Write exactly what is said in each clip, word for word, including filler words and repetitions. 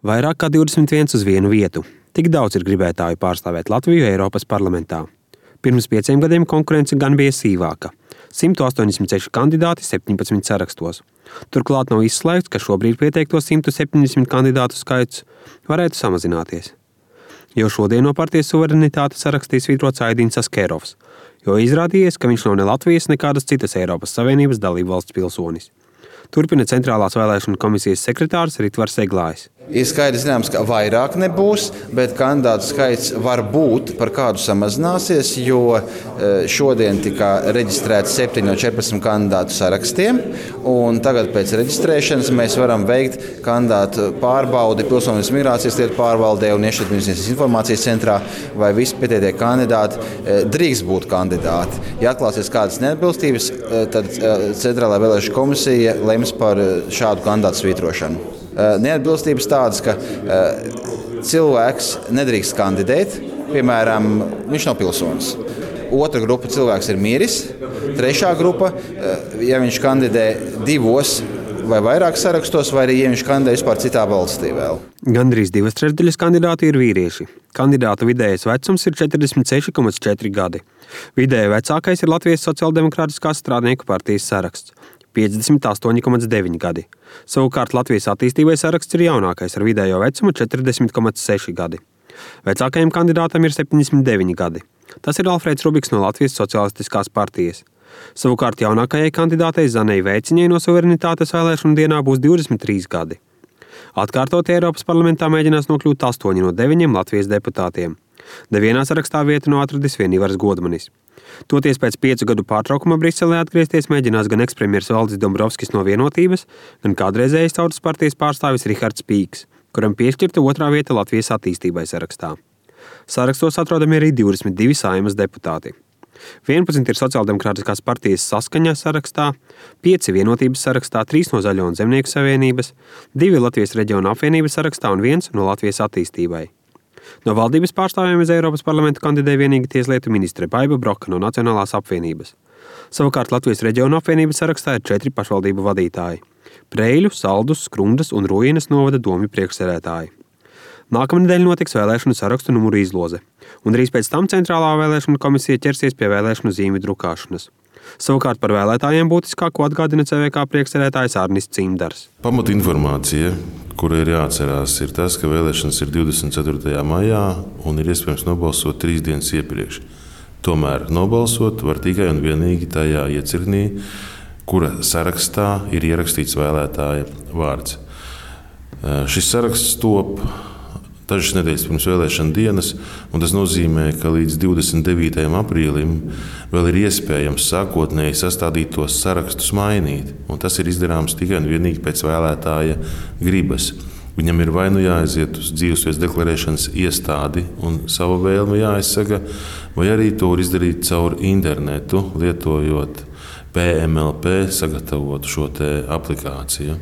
Vairāk kā divdesmit viens uz vienu vietu. Tik daudz ir gribētāju pārstāvēt Latviju Eiropas parlamentā. Pirms pieciem gadiem konkurence gan bija sīvāka. simt astoņdesmit seši kandidāti septiņpadsmit sarakstos. Turklāt nav izslēgts, ka šobrīd pieteikto simt septiņdesmit kandidātu skaits varētu samazināties. Jo šodien no partijas Suverenitāte sarakstīs svītrots Aidins Askerovs, jo izrādījies, ka viņš nav ne Latvijas, ne kādas citas Eiropas Savienības dalībvalsts pilsonis. Turpina Centrālās vēlēšanu komisijas sekretārs Ritvars Eglājs. Ir skaidrs zināms, ka vairāk nebūs, bet kandidātu skaits var būt par kādu samazināsies, jo šodien tika reģistrēti septiņi no četrpadsmit kandidātu sarakstiem, un tagad pēc reģistrēšanas mēs varam veikt kandidātu pārbaudi Pilsonības migrācijas lietu pārvaldē un iekšlietu informācijas centrā, vai visi pieteikie kandidāti drīkst būt kandidāti. Ja atklāsies kādas neatbilstības, tad Centrālā vēlēšanu komisija lems par šādu kandidātu svītrošanu. Neatbilstības tādas, ka cilvēks nedrīkst kandidēt, piemēram, viņš nav pilsonis. Otra grupa cilvēks ir miris, trešā grupa, ja viņš kandidē divos vai vairāk sarakstos, vai arī ja viņš kandidē vispār citā valstī vēl. Gandrīz divas trešdaļas kandidāti ir vīrieši. Kandidāta vidējais vecums ir četrdesmit seši komats četri gadi. Vidēji vecākais ir Latvijas Sociāldemokrātiskās strādnieku partijas saraksts. piecdesmit astoņi komats deviņi gadi. Savukārt Latvijas attīstībai saraksts ir jaunākais ar vidējo vecumu četrdesmit komats seši gadi. Vecākajam kandidātam ir septiņdesmit deviņi gadi. Tas ir Alfrēds Rubiks no Latvijas Sociālistiskās partijas. Savukārt jaunākajai kandidātei Zanei Veiciņai no Suverenitātes vēlēšanu dienā būs divdesmit trīs gadi. Atkārtot Eiropas parlamentā mēģinās nokļūt astoņi no deviņiem Latvijas deputātiem. Nevienā sarakstā vietu nav atradis vien Ivars Godmanis. Toties pēc piecu gadu pārtraukuma Briselē atgriezties mēģinās gan ekspremjers Valdis Dombrovskis no Vienotības, gan kādreizējais Tautas partijas pārstāvis Rihards Pīks, kuram piešķirta otrā vieta Latvijas attīstībai sarakstā. Sarakstos atrodami arī divdesmit divi Saeimas deputāti. vienpadsmit ir Sociāldemokrātiskās partijas Saskaņa sarakstā, pieci Vienotības sarakstā, trīs no Zaļo un Zemnieku savienības, divi Latvijas reģiona apvienības sarakstā un viens no Latvijas attīstībai. No valdības pārstāvjiem uz Eiropas parlamentu kandidēja vienīgi tieslietu ministre Baiba Broka no Nacionālās apvienības. Savukārt Latvijas reģiona apvienības sarakstā ir četri pašvaldību vadītāji – Preiļu, Saldus, Skrundas un Rujinas novada domju priekšsēdētāji. Nākamnedēļ notiks vēlēšanu sarakstu numuru izloze, un drīz pēc tam Centrālā vēlēšanu komisija ķersies pie vēlēšanu zīmju drukāšanas. Savukārt par vēlētājiem būtiskāko atgādina C V K priekšsēdētājs Arnis Cimdars. Pamatinformācija, kura ir jāatcerās, ir tas, ka vēlēšanas ir divdesmit ceturtajā maijā un ir iespējams nobalsot trīs dienas iepriekš. Tomēr nobalsot var tikai un vienīgi tajā iecirknī, kura sarakstā ir ierakstīts vēlētāja vārds. Šis saraksts top dažas nedēļas pirms vēlēšana dienas, un tas nozīmē, ka līdz divdesmit devītajam aprīlim vēl ir iespējams sākotnēji sastādītos sarakstus mainīt, un tas ir izdarāms tikai un vienīgi pēc vēlētāja gribas. Viņam ir vai nu jāaiziet uz dzīvesvietas deklarēšanas iestādi un savu vēlmi jāizsaka, vai arī to var izdarīt caur internetu, lietojot P M L P sagatavotu šo te aplikāciju.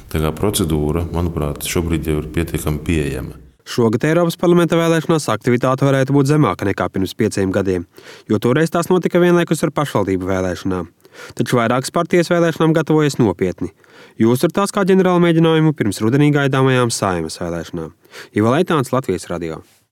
Tā kā procedūra, manuprāt, šobrīd jau ir pietiekami pieejama. Šogad Eiropas parlamenta vēlēšanās aktivitāte varētu būt zemāka nekā pirms pieciem gadiem, jo toreiz tās notika vienlaikus ar pašvaldību vēlēšanām. Taču vairākas partijas vēlēšanām gatavojas nopietni. Jūs ar tās kā ģenerāla mēģinājumu pirms rudenī gaidāmajām Saeimas vēlēšanām. Iva Leitāns, Latvijas radio.